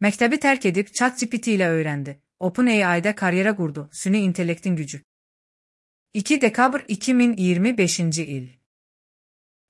Məktəbi tərk edib ChatGPT ilə öyrəndi. OpenAI-də karyera qurdu. Süni intellektin gücü. 2 dekabr 2025-ci il.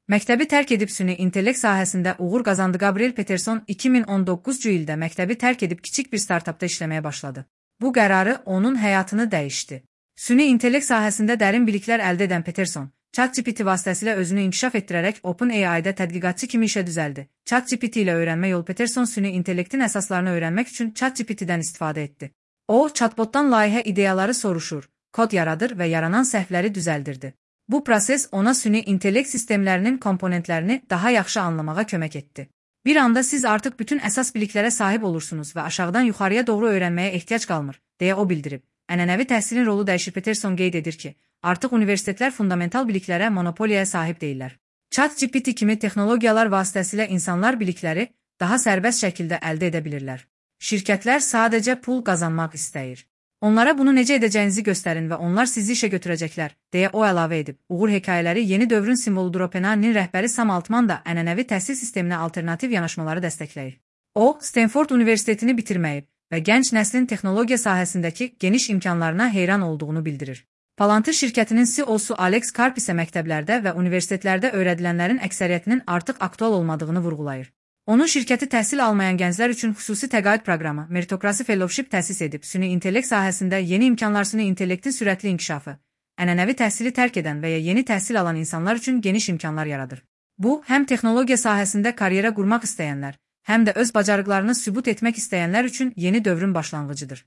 Məktəbi tərk edib süni intellekt sahəsində uğur qazandı. Gabriel Peterson 2019-cu ildə məktəbi tərk edib kiçik bir startapda işləməyə başladı. Bu qərarı onun həyatını dəyişdi. Süni intellekt sahəsində dərin biliklər əldə edən Peterson, ChatGPT vasitəsilə özünü inkişaf etdirərək OpenAI-də tədqiqatçı kimi işə düzəldi. ChatGPT ilə öyrənmə yolu. Peterson süni intellektin əsaslarını öyrənmək üçün ChatGPT-dən istifadə etdi. O, chatbotdan layihə ideyaları soruşur, kod yaradır və yaranan səhvləri düzəldirdi. Bu proses ona süni intellekt sistemlərinin komponentlərini daha yaxşı anlamağa kömək etdi. Bir anda siz artıq bütün əsas biliklərə sahib olursunuz və aşağıdan yuxarıya doğru öyrənməyə ehtiyac qalmır, deyə o bildirib. Ənənəvi təhsilin rolu dəyişir. Peterson qeyd edir ki, artıq universitetlər fundamental biliklərə monopoliyaya sahib deyillər. ChatGPT kimi texnologiyalar vasitəsilə insanlar bilikləri daha sərbəst şəkildə əldə edə bilirlər. Şirkətlər sadəcə pul qazanmaq istəyir. Onlara bunu necə edəcəyinizi göstərin və onlar sizi işə götürəcəklər, deyə o əlavə edib. Uğur hekayələri yeni dövrün simvoludur. OpenAI-nin rəhbəri Sam Altman da ənənəvi təhsil sisteminə alternativ yanaşmaları dəstəkləyir. O, Stanford Universitetini bitirməyib və gənc nəslin texnologiya sahəsindəki geniş imkanlarına heyran olduğunu bildirir. Palantir şirkətinin CEO-su Alex Karp isə məktəblərdə və universitetlərdə öyrədilənlərin əksəriyyətinin artıq aktual olmadığını vurğulayır. Onun şirkəti təhsil almayan gənclər üçün xüsusi təqaüd proqramı, Meritocracy Fellowship təsis edib. Süni intellekt sahəsində yeni imkanlar. Süni intellektin sürətli inkişafı, ənənəvi təhsili tərk edən və ya yeni təhsil alan insanlar üçün geniş imkanlar yaradır. Bu, həm texnologiya sahəsində karyera qurmaq istəyənlər, həm də öz bacarıqlarını sübut etmək istəyənlər üçün yeni dövrün başlanğıcıdır.